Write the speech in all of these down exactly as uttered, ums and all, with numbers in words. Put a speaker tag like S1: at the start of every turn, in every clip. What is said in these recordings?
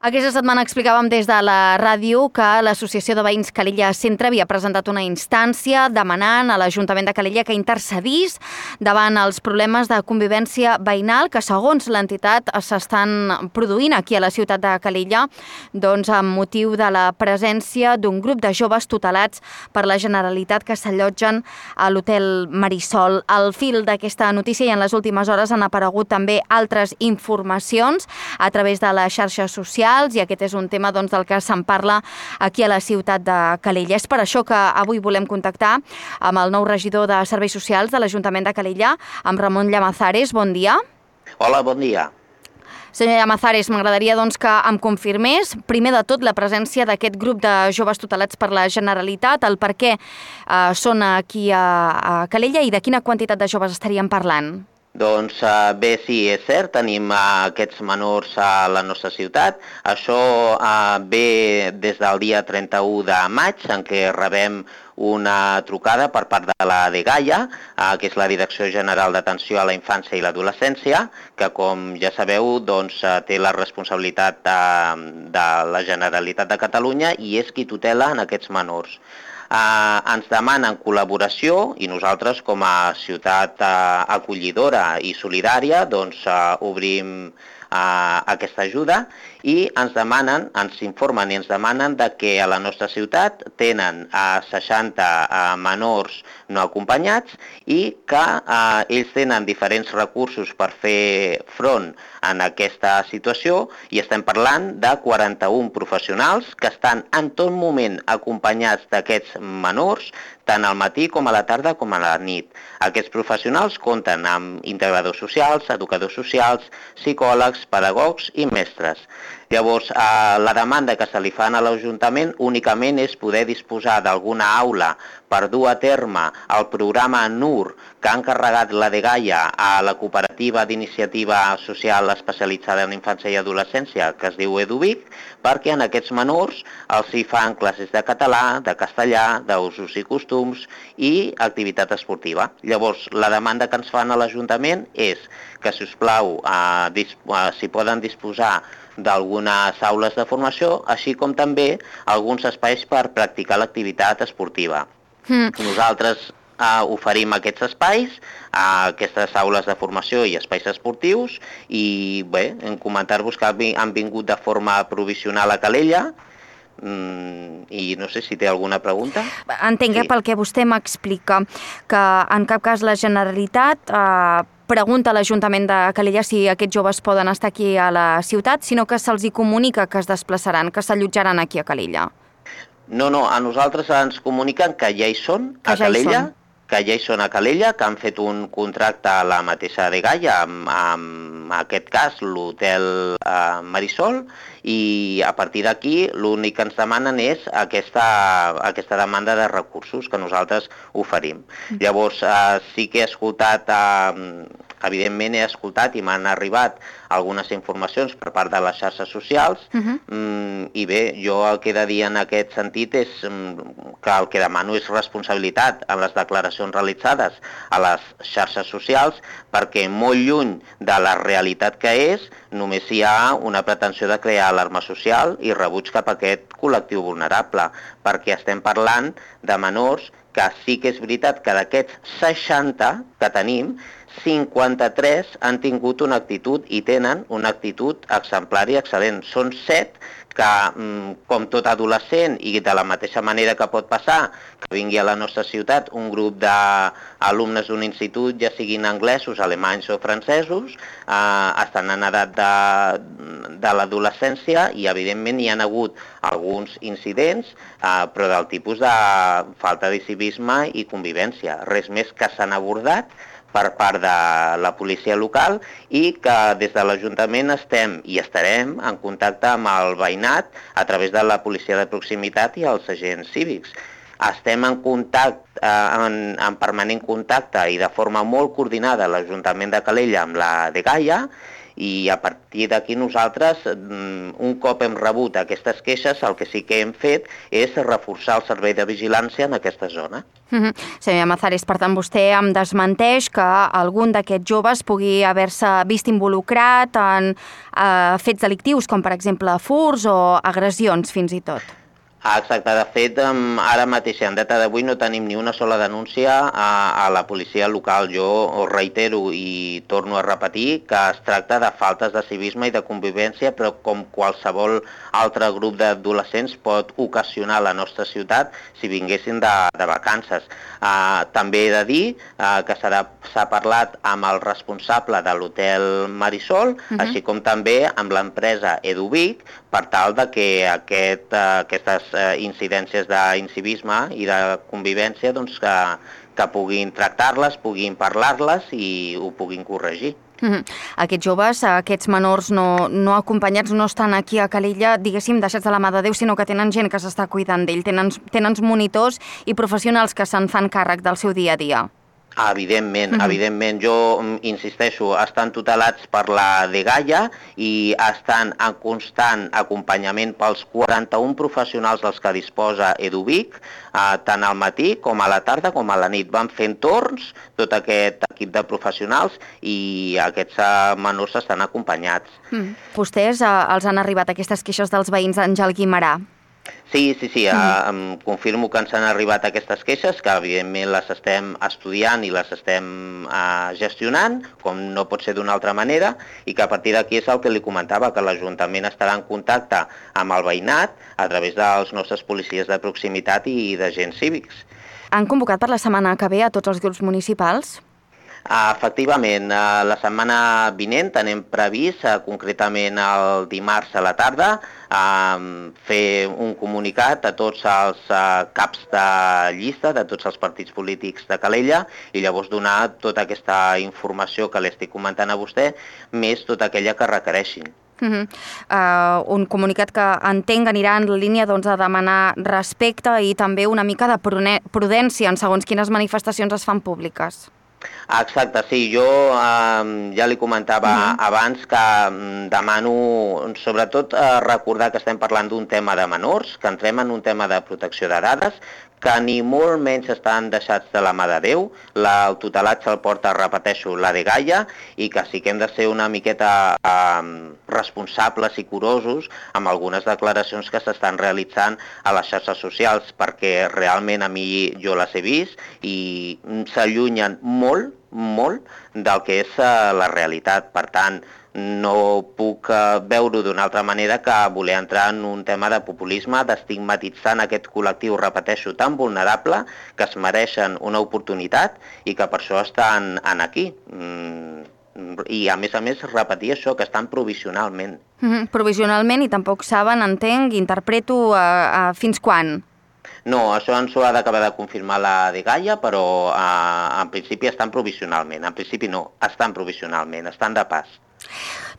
S1: Aquesta setmana explicàvem des de la ràdio que l'Associació de Veïns Calella Centre havia presentat una instància demanant a l'Ajuntament de Calella que intercedís davant els problemes de convivència veïnal que, segons l'entitat, s'estan produint aquí a la ciutat de Calella, doncs amb motiu de la presència d'un grup de joves tutelats per la Generalitat que s'allotgen a l'Hotel Marisol. Al fil d'aquesta notícia i en les últimes hores han aparegut també altres informacions a través de les xarxes socials, i aquest és un tema doncs, del que se'n parla aquí a la ciutat de Calella. És per això que avui volem contactar amb el nou regidor de Serveis Socials de l'Ajuntament de Calella, amb Ramon Llamazares. Bon dia.
S2: Hola, bon dia.
S1: Senyor Llamazares, m'agradaria doncs, que em confirmés, primer de tot, la presència d'aquest grup de joves tutelats per la Generalitat, el per què eh, són aquí a, a Calella i de quina quantitat de joves estaríem parlant.
S2: Doncs bé, sí, és cert, tenim aquests menors a la nostra ciutat. Això ve des del dia trenta-u de maig, en què rebem una trucada per part de la dgaia, que és la Direcció General d'Atenció a la Infància i l'Adolescència, que, com ja sabeu, doncs, té la responsabilitat de, de la Generalitat de Catalunya i és qui tutela en aquests menors. Uh, ens demanen col·laboració i nosaltres, com a ciutat uh, acollidora i solidària, doncs uh, obrim uh, aquesta ajuda i ens demanen, ens informen i ens demanen de que a la nostra ciutat tenen uh, seixanta uh, menors no acompanyats i que uh, ells tenen diferents recursos per fer front en aquesta situació i estem parlant de quaranta-un professionals que estan en tot moment acompanyats d'aquests menors, tant al matí com a la tarda com a la nit. Aquests professionals compten amb integradors socials, educadors socials, psicòlegs, pedagogs i mestres. Llavors, eh, la demanda que se li fan a l'Ajuntament únicament és poder disposar d'alguna aula per dur a terme el programa N U R que ha encarregat la dgaia a la cooperativa d'iniciativa social especialitzada en infància i adolescència, que es diu EduVic, perquè en aquests menors els hi fan classes de català, de castellà, d'usos i costums i activitat esportiva. Llavors, la demanda que ens fan a l'Ajuntament és que, si us plau, eh, eh, si poden disposar d'algunes aules de formació, així com també alguns espais per practicar l'activitat esportiva. Mm. Nosaltres eh, oferim aquests espais, eh, aquestes aules de formació i espais esportius, i bé, en comentar-vos que han vingut de forma provisional a Calella, Mm, i no sé si té alguna pregunta.
S1: Entenc que sí. Pel que vostè m'explica, que en cap cas la Generalitat eh, pregunta a l'Ajuntament de Calella si aquests joves poden estar aquí a la ciutat, sinó que se'ls hi comunica que es desplaçaran, que s'allotjaran aquí a Calella.
S2: No, no, a nosaltres ens comuniquen que ja hi són, a
S1: ja
S2: Calella, que ja hi són a Calella, que han fet un contracte a la mateixa dgaia, amb, amb aquest cas l'Hotel eh, Marisol, i a partir d'aquí l'únic que ens demanen és aquesta, aquesta demanda de recursos que nosaltres oferim. Mm. Llavors, eh, sí que he escoltat, eh, evidentment he escoltat i m'han arribat algunes informacions per part de les xarxes socials, uh-huh. mm, i bé, jo el que he de dir en aquest sentit és mm, que el que demano és responsabilitat en les declaracions realitzades a les xarxes socials, perquè molt lluny de la realitat que és, només hi ha una pretensió de crear alarma social i rebuig cap a aquest col·lectiu vulnerable, perquè estem parlant de menors que sí que és veritat que d'aquests seixanta que tenim, cinquanta-tres han tingut una actitud i tenen una actitud exemplar i excel·lent. Són set que, com tot adolescent i de la mateixa manera que pot passar que vingui a la nostra ciutat un grup d'alumnes d'un institut, ja siguin anglesos, alemanys o francesos, eh, estan en edat de, de l'adolescència i evidentment hi ha hagut alguns incidents, eh, però del tipus de falta de civisme i convivència. Res més que s'han abordat per part de la policia local i que des de l'Ajuntament estem i estarem en contacte amb el veïnat a través de la policia de proximitat i els agents cívics. Estem en contacte, en, en permanent contacte i de forma molt coordinada l'Ajuntament de Calella amb la dgaia i a partir d'aquí nosaltres, un cop hem rebut aquestes queixes, el que sí que hem fet és reforçar el servei de vigilància en aquesta zona.
S1: Mm-hmm. Senyor Llamazares, per tant, vostè em desmenteix que algun d'aquests joves pugui haver-se vist involucrat en eh, fets delictius, com per exemple furts o agressions fins i tot.
S2: Exacte, de fet, ara mateix, en data d'avui, no tenim ni una sola denúncia a, a la policia local. Jo ho reitero i torno a repetir que es tracta de faltes de civisme i de convivència, però com qualsevol altre grup d'adolescents pot ocasionar a la nostra ciutat si vinguessin de, de vacances. Uh, també he de dir uh, que s'ha parlat amb el responsable de l'hotel Marisol, uh-huh. així com també amb l'empresa Eduvic, per tal de que aquest, uh, aquestes uh, incidències d'incivisme i de convivència doncs, que, que puguin tractar-les, puguin parlar-les i ho puguin corregir.
S1: Mm-hmm. Aquests joves, aquests menors no, no acompanyats, no estan aquí a Calella, diguéssim, deixats de la mà de Déu, sinó que tenen gent que s'està cuidant d'ell, tenen, tenen monitors i professionals que se'n fan càrrec del seu dia a dia.
S2: Evidentment, mm-hmm. evidentment. Jo insisteixo, estan tutelats per la dgaia i estan en constant acompanyament pels quaranta-un professionals dels que disposa Eduvic, eh, tant al matí com a la tarda com a la nit. Van fent torns tot aquest equip de professionals i aquests eh, menors estan acompanyats.
S1: Mm. Vostès eh, els han arribat aquestes queixes dels veïns d'Àngel Guimerà?
S2: Sí, sí, sí, mm. em confirmo que ens han arribat aquestes queixes, que evidentment les estem estudiant i les estem uh, gestionant, com no pot ser d'una altra manera, i que a partir d'aquí és el que li comentava, que l'Ajuntament estarà en contacte amb el veïnat a través dels nostres policies de proximitat i d'agents cívics.
S1: Han convocat per la setmana que ve a tots els grups municipals?
S2: Uh, efectivament, uh, la setmana vinent tenem previst, uh, concretament el dimarts a la tarda, uh, fer un comunicat a tots els uh, caps de llista de tots els partits polítics de Calella i llavors donar tota aquesta informació que li estic comentant a vostè, més tota aquella que requereixin.
S1: Uh-huh. Uh, un comunicat que entenc anirà en la línia doncs, de demanar respecte i també una mica de prudència en segons quines manifestacions es fan públiques.
S2: Exacte, sí, jo eh, ja li comentava uh-huh. abans que um, demano, sobretot, eh, recordar que estem parlant d'un tema de menors, que entrem en un tema de protecció de dades, que ni molt menys estan deixats de la mà de Déu, la, el tutelat se'l porta, repeteixo, la dgaia, i que sí que hem de ser una miqueta eh, responsables i curosos amb algunes declaracions que s'estan realitzant a les xarxes socials, perquè realment a mi jo les he vist i s'allunyen molt, molt del que és uh, la realitat. Per tant, no puc uh, veure-ho d'una altra manera que voler entrar en un tema de populisme, d'estigmatitzar aquest col·lectiu, repeteixo, tan vulnerable, que es mereixen una oportunitat i que per això estan en aquí. Mm, I a més a més repetir això, que estan provisionalment.
S1: Mm-hmm. Provisionalment i tampoc saben, entenc, interpreto uh, uh, fins quan?
S2: No, això ens ho ha d'acabar de confirmar la dgaia, però eh, en principi estan provisionalment. En principi no, estan provisionalment, estan de pas.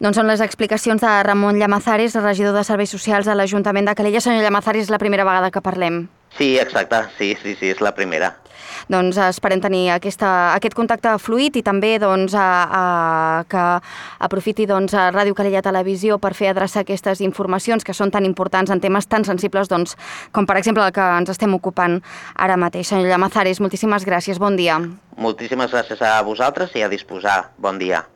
S1: Doncs són les explicacions de Ramon Llamazares, regidor de Serveis Socials a l'Ajuntament de Calella. Senyor Llamazares, és la primera vegada que parlem.
S2: Sí, exacte, sí, sí, sí, és la primera.
S1: Doncs esperem tenir aquesta, aquest contacte fluid i també doncs, a, a, que aprofiti doncs, a Ràdio Calella Televisió per fer adreçar aquestes informacions que són tan importants en temes tan sensibles doncs, com per exemple el que ens estem ocupant ara mateix. Senyor Llamazares, moltíssimes gràcies, bon dia.
S2: Moltíssimes gràcies a vosaltres i a disposar. Bon dia.